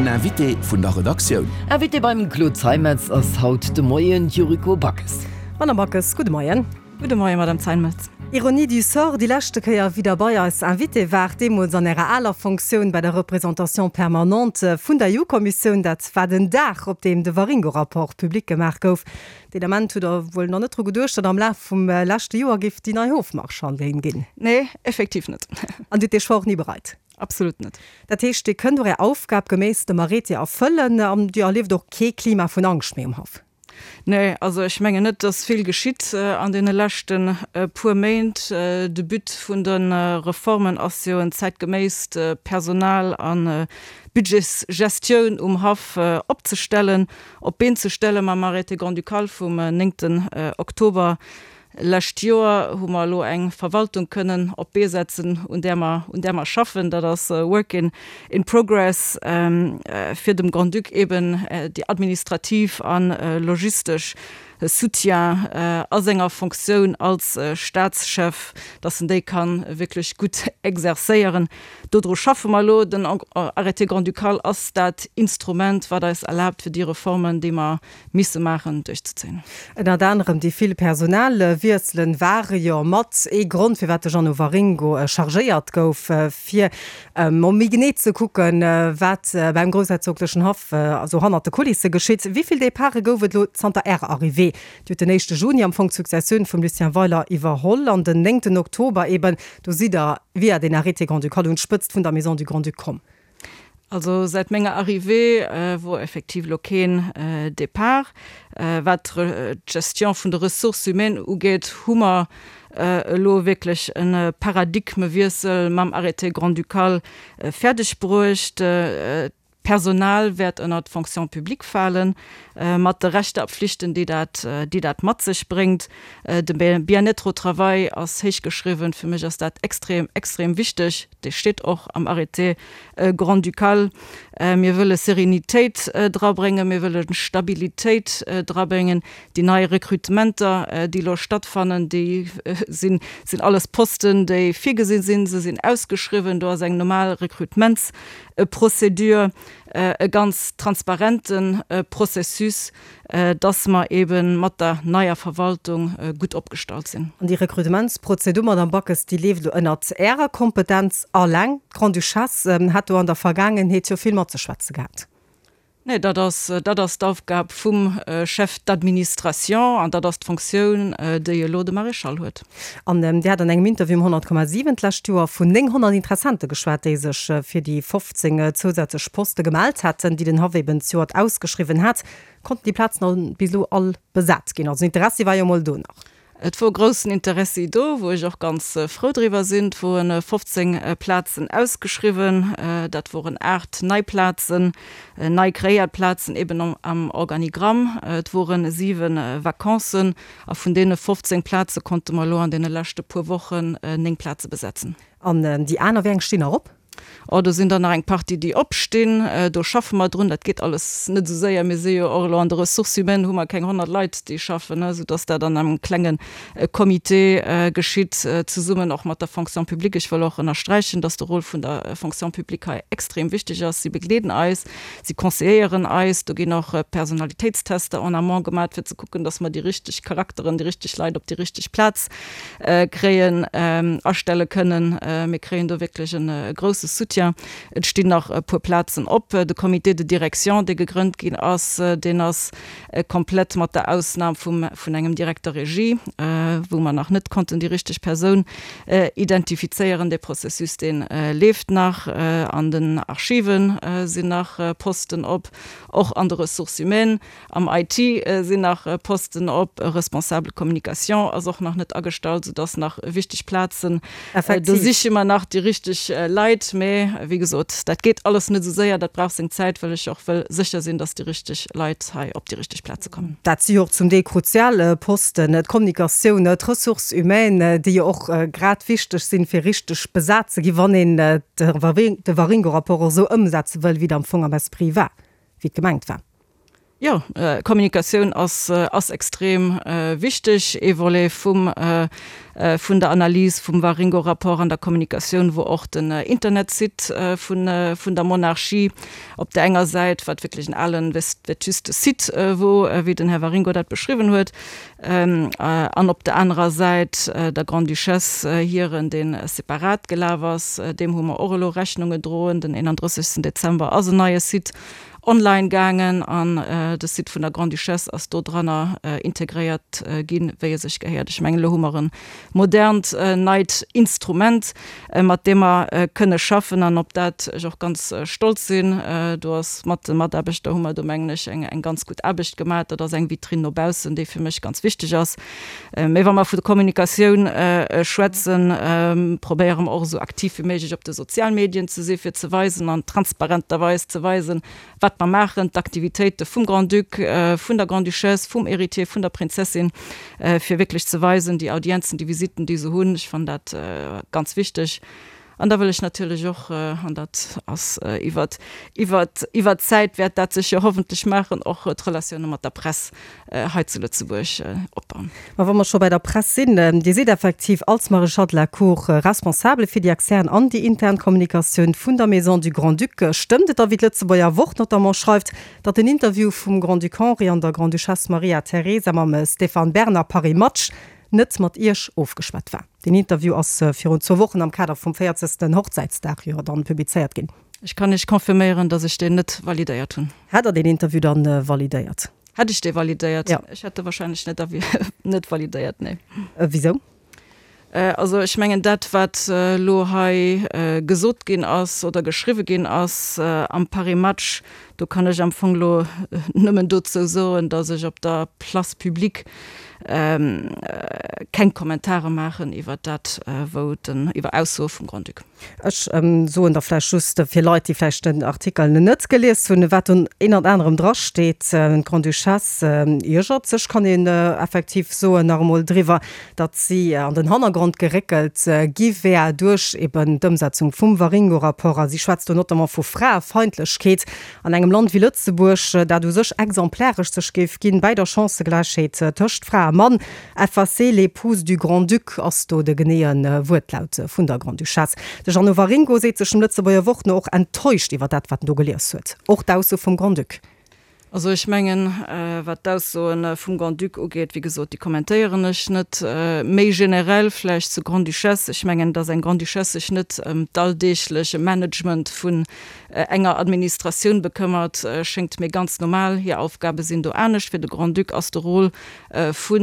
Invité vun der Redaktioun. Invité beim Claude Zeimetz ass haut de Moien d'Yuriko Backes. Madame Backes, gudde Moien. Gudde Moien, Madame Zeimetz. Ironie du sort, déi leschte Kéier, wéi Der bei eis Invité waart, deemools an Ärer aler Fonctioun bei der Représentation permanente vun der EU-Kommissioun, dat war den Dag, op deem de Waringo-Rapport public gemaach gouf. Deen Ament hutt Der wuel nach net dru geduecht, datt am Laf vum leschte Joer géif déi nei Hofmarschallin ginn? Nee, effektiv net. An Dir hutt dee Choix och ni bereit? Absolut net. Dat heescht, Dir kënnt och Är Aufgab geméiss dem Arrêté erfëllen an Dir erlieft och kee Klima vun Angscht méi um Haff? Nee, also ech mengen net, dass vill geschitt an deene leschte puer Méint. De But vun de Reformen ass jo en zäitgeméisst Personal a Budgetsgestioun um Haff opzestellen, op d'Been ze stellen. Mam Arrêté grand-ducal vum néngten Oktober Lescht Joer hu mer elo eng Verwaltung kënnen op d'Bee setzen, un där mer, un där mer schaffen. Dat ass e Work in in progress, fir dem Grand-Duc eben déi administrativ a logistesch Soutien a senger Fonctioun als Staatschef, dass en déi ka wierklech gutt exercéieren. Dodru schaffe mer elo. Den Arrêté grand-ducal ass dat Instrument, wat eis erlaabt, fir déi Reformen, déi mer misse maachen, duerchzezéien. Ënnert anerem déi vill Personalwiesselen ware jo mat ee Grond, firwat de Jeannot Waringo chargéiert gouf, fir mol méi genee ze kucken, wat beim groussherzoglechen Haff esou hannert de Kulisse geschitt. Wéi vill Departe gouf et elo zanter Ärer Arrivée? Dir hutt den éischte Juni am Fong d'Successioun vum Lucien Weiler iwwerholl an den néngten Oktober eben, do sidd Der via den Arrêté grand-ducal un d'Spëtzt vun der Maison du Grand-Duc komm. Also säit menger Arrivée wor effektiv elo keen Départ. Wat d'Gestion vun de Ressources humaines ugeet, hu mer elo wierklech e Paradigmewiessel mam Arrêté grand-ducal fäerdeg bruecht. D'Personal wäert ënnert d'Fonction publique falen, mat de Rechter a Pflichten, déi dat, déi dat mat sech bréngt. De Bien-être au travail ass héich geschriwwen. Fir mech ass dat extrem, extrem wichteg. Dee steet och am Arrêté grand-ducal. Mir wëlle Sérénitéit drabréngen, mir wëlle Stabilitéit drabréngen. Déi nei Recrutementer, déi elo stattfannen, déi sinn, sinn alles Posten, déi virgesinn sinn. Se sinn ausgeschriwwen. Do ass eng normal Recrutementsprocédure, e ganz transparente Processus, dass mer eebe mat der neier Verwaltung gutt opgestallt sinn. An déi Rekrutementsprozedur, Madamm Backes, déi leeft elo ënnert Ärer Kompetenz alleng. D'Grande-Duchesse hat do an der Vergaangenheet jo vill matzeschwätze gehat. Nee, dat ass, dat ass d'Aufgab vum Chef d'administration an dat ass d'Fonctioun, déi elo de Maréchal huet. An Dir hat an engem Interview um 100,7 d'lescht Joer vun 900 Interessente geschwat, déi sech fir déi 15 zousätzlech Poste gemellt hätten, déi den Haff eben zejoert ausgeschriwwen hat. Konnten déi Plazen all bis elo all besat ginn? Also den Interessi war jo mol do nach. Et wor groussen Interessi do, wou ech och ganz frou driwwer sinn. Et woren 15 Plazen ausgeschriwwen. Dat woren 8 nei Plazen, nei kreéiert Plazen eben am Organigramm. Et woren 7 Vacancen a vun deene 15 Plaze konnte mer elo an deene leschte puer Wochen 9 Plaze besetzen. An déi aner, wéi eng stinn nach op? Oh, do sinn der nach eng Partie, déi opstinn. Do schaffe mer drun. Dat geet alles net esou séier. Mir si jo och elo an de Ressources humaines hu mer keng 100 Leit, déi schaffen, soudass dat an engem klenge Comité geschitt, zesummen och mat der Fonction publique. Ech wëll och ënnersträichen, dass de Rôle vun der Fonction publique hei extrem wichteg ass. Si begleeden eis, si conseilléieren eis. Do ginn och Personalitéitstester en amont gemaat, fir ze kucken, dass mer déi richteg Charakteren, déi richteg Leit op déi richteg Plaz kréien, astelle kënnen. Mir kréien do wierklech e grousse Soutien. Et stinn nach e puer Plazen op. De Comité de direction, dee gegrënnt ginn ass, deen ass komplett, mat der Ausnam vum, vun engem Directeur régie, wou mer nach net konnten déi richteg Persoun identifizéieren. Dee Processus, dee leeft nach. An den Archive sinn nach Posten op, och an de Ressources humaines. Am IT sinn nach Posten op, e Responsable communication ass och nach net agestallt, soudass nach wichteg Plazen, do siche mer nach déi richteg Leit. Mee wéi gesot, dat geet alles net esou séier, dat brauch seng Zäit, well ech och wëll sécher sinn, dass déi richteg Leit hei op déi richteg Plaze kommen. Dat si jo och zum Deel kruzial Posten, d'Kommunikatioun, d'Ressources humaines, déi jo och grad wichteg sinn, fir richteg besat ze ginn, wann een de Waringo-Rapport och esou ëmsetze wëll, wéi et am Fong am Esprit war, wéi et gemengt war. Jo, Kommunikatioun ass ass extrem wichteg. Ee Volet vum vun der Analys vum Waringo-Rapport an der Kommunikatioun wor och den Internetsite vun vun der Monarchie op der enger Säit, wat wierklech en alen vétuste Site wor, wéi den Här Waringo dat beschriwwen huet, an op der anerer Säit der Grande-Duchesse hiren, dee separat gelaf ass. Deem hu mer och elo Rechnung gedroen. Den 31. Dezember ass en neie Site online gaangen an de Site vun der Grande-Duchesse ass do dranner integréiert ginn, wéi e sech gehéiert. Ech mengen, elo hu mer e modernt, neit Instrument, mat deem mer kënne schaffen an op dat ech och ganz stolz sinn. Do ass mat de Mataarbechter hu mer do, mengen ech, eng ganz gutt Aarbecht gemaach. Dat ass eng Vitrine no baussen, déi fir mech ganz wichteg ass. Mee wa mer vu Kommunikatioun schwätzen, probéiere mer och esou aktiv wéi méiglech op de Sozialmedien ze si fir ze weisen an transparenterweis ze weisen, wat mer maachen, d'Aktivitéite vum Grand-Duc, vun der Grande-Duchesse, vum Héritier, vun der Prinzessin, fir wierklech ze weisen, déi Audienzen, déi Visitten, déi se hunn. Ech fannen dat ganz wichteg. An da wëll ech natierlech och, an dat ass iwwert, iwwert, iwwert d'Zäit wäert dat sech jo hoffentlech maachen, och d'Relatioune mat der Press hei zu Lëtzebuerg opbauen. Ma wa mer scho bei der Press sinn, Dir sidd effektiv als Maréchal de la Cour responsable fir déi extern an déi intern Kommunikatioun vun der Maison du Grand-Duc. Stëmmt et da, wéi d'Lëtzebuerger Wort notamment schreift, datt den Interview vum Grand-Duc Henri an der Grande-Duchesse Maria Teresa mam Stéphane Bern a Paris Match net mat Iech ofgeschwat war. Deen Interview ass virun zwou Wochen am Kader vum 40. Hochzäitsdag jo dann publizéiert ginn. Ech kann Iech confirméieren, dass ech deen net validéiert hunn. Hätt Der deen Interview dann validéiert? Hätt ech dee validéiert? Jo. Ech hätt e wahrscheinlech net net validéiert, nee. Wisou? Also ech mengen dat, wat elo hei gesot ginn ass oder geschriwwe ginn ass am Paris Match, do kann ech am Fong elo nëmmen dozou soen, datt ech op der Place publique keng Kommentare maachen iwwer dat, wou den, iwwer Aussoe vum Grand-Duc. Ech soen da vläicht just fir Leit, déi vläicht den Artikel net gelies hunn, wat do ënnert anerem drasteet, D'Grande-Duchesse iergert sech, kann een effektiv soen, nach emol driwwer, datt si an den Hannergrond geréckelt gi wär duerch eben d'Ëmsetzung vum Waringo-Rapport. A si schwätzt do notamment vu Fraefeindlechkeet an engem Land wéi Lëtzebuerg, dat u sech exemplaresch sech géif ginn bäi der Chancëgläichheet tëscht Fra a Mann. Effacer l'épouse du Grand-Duc ass do de geneeë Wuertlaut vun der Grande-Duchesse. De Jeannot Waringo seet sech dem Lëtzebuerger Wort no och enttäuscht iwwer dat, wat en do gelies huet, och d'Ausso vum Grand-Duc. Also ech mengen, wat d'Aussoe vum Grand-Duc ugeet, wéi gesot, déi kommentéieren ech net. Méi generell vläicht zur Grande-Duchesse, Ech mengen, datt eng Grande-Duchesse sech net ëm d'alldeegleche Management vun enger Administratioun bekëmmert, schéngt mir ganz normal. Hir Aufgabe sinn do anescht. Fir de Grand-Duc ass de Rôle vu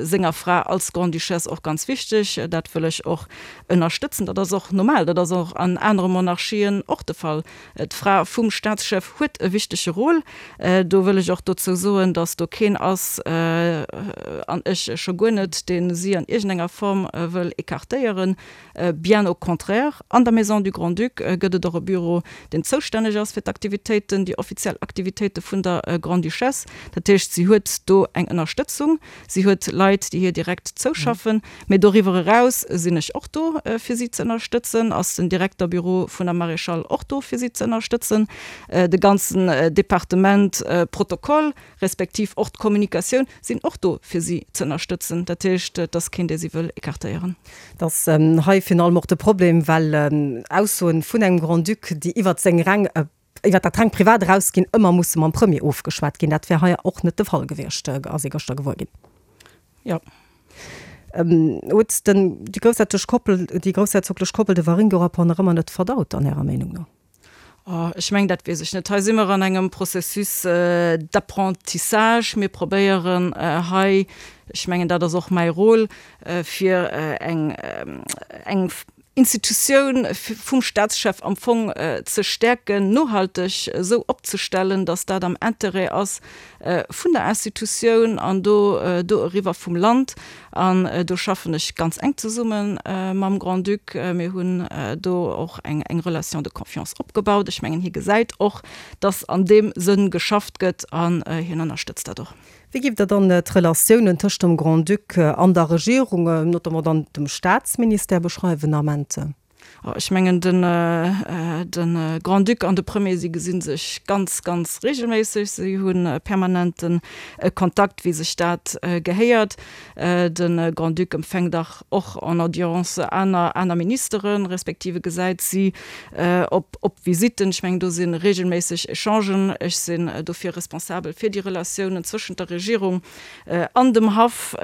senger Fra als Grande-Duchesse och ganz wichteg. Dat wëll ech och ënnerstëtzen. Dat ass och normal. Dat ass och an anere Monarchien och de Fall. D'Fra vum Staatschef huet e wichtege Rôle. Do wëll ech och dozou soen, datt do keen ass, an ech scho guer net, dee si an iergendenger Form wëll écartéieren. Bien au contraire, an der Maison du Grand-Duc gëtt et och e Büro, deen zoustänneg ass fir d'Aktivitéiten, déi offiziell Aktivitéite vun der Grande-Duchesse. Dat heescht, si huet do eng Ënnerstëtzung. Si huet Leit, déi hir direkt zouschaffen. Mee doriwwer eraus sinn ech och do, fir si ze ënnerstëtzen, ass den Direkterbüro vun der Maréchale och do, fir si ze ënnerstëtzen. De ganzen Departement Protokoll, respektiv och d'Kommunikatioun sinn och do, fir si ze ënnerstëtzen. Dat heescht, et ass keen, dee si wëll écartéieren. Et ass hei virun allem och de Problem, well Aussoen vun engem Grand-Duc, déi iwwert seng reng iwwer dat rengt Privat erausginn, ëmmer musse mam Premier ofgeschwat ginn. Dat wär hei och net de Fall gewiescht, ass ee gëschter gewuer ginn. Jo. Huet den, déi groussherzoglech Koppel, déi groussherzoglech Koppel de Waringo-Rapport nach ëmmer net verdaut, dann Ärer Meenung no? Oh, ech mengen, dat weess ech net. Hei si mer an engem Processus d'apprentissage. Mir probéieren hei, ech mengen, dat ass och mäi Rôle, fir eng, eng Institutioun vum Staatschef am Fong ze stäerken, nohalteg esou opzestellen, datt dat am Intérêt ass vun der Institutioun an do do eriwwer vum Land. An do schaffen ech ganz enk zesumme mam Grand-Duc. Mir hunn do och eng eng Relation de confiance opgebaut. Ech mengen, hie gesäit och, datt an deem Sënn geschafft gëtt an hien ënnerstëtzt dat och. Wéi giff Der dann d'Relatiounen tëscht dem Grand-Duc an der Regierung, notamment dann dem Staatsministère beschreiwen Ament? Ech mengen, den de Grand-Duc an de Premier, si gesi sech ganz, ganz reegelméisseg. Si hu permanente Kontakt, wéi sech dat gehéiert. De Grand-Duc empfänkt dach och en Audience aner aner Ministeren, respektive gesäit si op op Visitten. Ech mengen, do si reegelméisseg Echangen. Ech sinn dofir responsabel fir déi Relatiounen zwëschent der Regierung an dem Haff.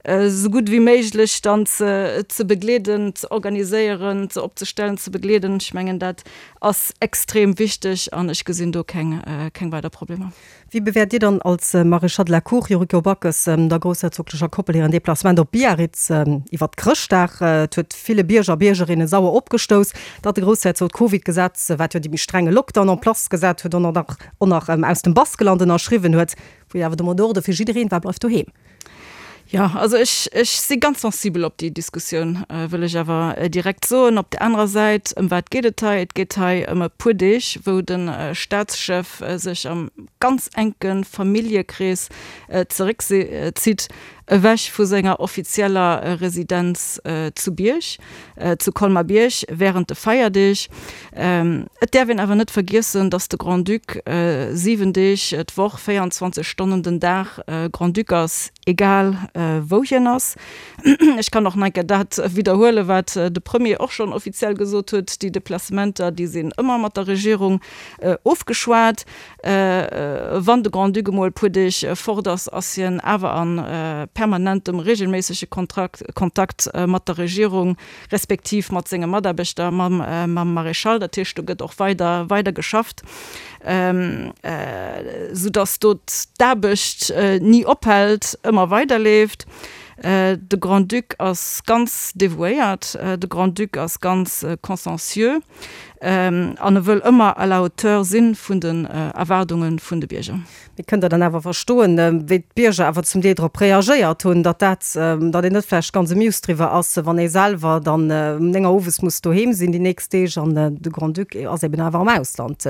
Esou gutt ewéi méiglech dann ze begleeden, ze organiséieren, ze opzestellen, ze begleeden. Ech mengen, dat ass extrem wichteg an ech gesinn do keng, keng weider Problemer. Wéi bewäert Dir dann als Maréchal de la Cour Yuriko Backes der groussherzoglecher Koppel hiren Deplacement op Biarritz iwwert Chrëschtdag? Et huet ville Bierger a Biergerinne sauer opgestouss, datt de Groussherzog d'Covid-Gesetz, wat jo dee méi strenge Lockdown en place gesat huet, och nach aus dem Baskeland ënnerschriwwen huet, wou jo awer de Mot d'ordre fir jiddereen war, Bleift doheem. Jo, also ech, ech si ganz sensibel op déi Diskussioun, wëll ech awer direkt soen. Op där anerer Säit, ëm wat geet et hei? Et geet hei ëm e puer Deeg, wou de Staatschef sech am ganz enke Familljekrees zeréckzitt, ewech vu senger offizieller Residenz zu Bierg, zu Colmar-Bierg während de Feierdeeg. Et däerf een awer net vergiessen, datt de Grand-Duc 7 Deeg d'Woch, 24 Stonnen den Dag Grand-Duc ass, egal wou hien ass. Ech kann och nach eng Kéier dat widderhuelen, wat de Premier och schonn offiziell gesot huet, Déi Deplacementer, déi sinn ëmmer mat der Regierung ofgeschwat. Wann de Grand-Duc emol e puer Deeg fort ass, ass hien awer a permanentem, reegelméissege Kontakt mat der Regierung, respektiv mat senge Mataarbechter, mam Maréchal. Dat heescht, do gëtt och weider, weider geschafft, soudass do d'Aarbecht ni ophält, ëmmer weiderleeft. De Grand-Duc ass ganz devouéiert, de Grand-Duc ass ganz consciencieux. An e wëll ëmmer à la hauteur si vun den Erwaardunge vun de Bierger. Mee kënnt Der dann awer verstoen, wéi d'Bierger awer zum Deel drop reagéiert hunn, datt dat, datt een net vläicht ganz amused driwwer ass, wann ee selwer dann um 9 Auer owes muss doheem sinn déi nächst Deeg an de Grand-Duc ass eben awer am Ausland?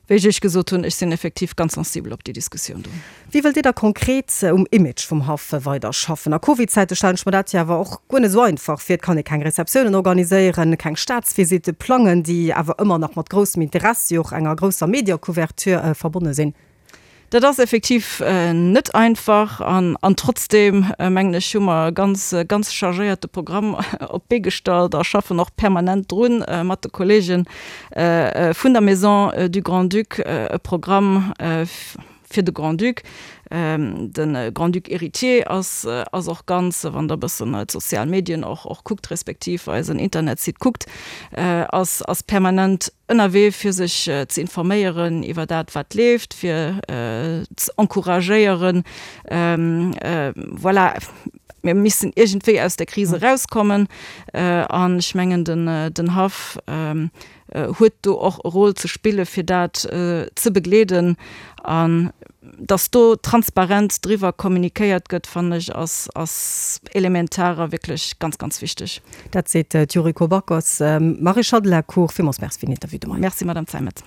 Wéi ech Iech gesot hunn, ech sinn effektiv ganz sensibel op déi Diskussioun do. Wéi wëllt Dir da konkret um Image vum Haff weider schaffen? A Covid-Zäite stellen ech mer dat jo awer och guer net esou einfach vir. Et kann ee keng Receptiounen organiséieren, keng Staatsvisitte plangen, déi awer ëmmer nach mat groussem Interessi, och enger grousser Mediacouverture verbonne sinn. Dat ass effektiv net einfach an an trotzdeem, mengen ech, hu mer e ganz, ganz chargéierte Programm op d'Bee gestallt a schaffen och permanent drun mat de Kollegen vun der Maison du Grand-Duc e Programm fir de Grand-Duc. De Grand-Duc héritier ass ass och ganz, wann Der e bëssen d'sozial Medien och och kuckt, respektiv eisen Internetsite kuckt, ass ass permanent ënnerwee fir sech ze informéieren iwwer dat wat leeft, fir ze encouragéieren, voilà, mir missen iergendwéi aus der Kris erauskommen an ech mengen den den Haff huet do och e Rôle ze spille fir dat ze begleeden an dass do transparent driwwer kommunikéiert gëtt, fannen ech ass ass elementar a wierklech ganz, ganz wichteg. Dat seet d'Yuriko Backes. Maréchale de la Cour, villmools Merci fir den Interview de Moien. Merci, Madame Zeimet.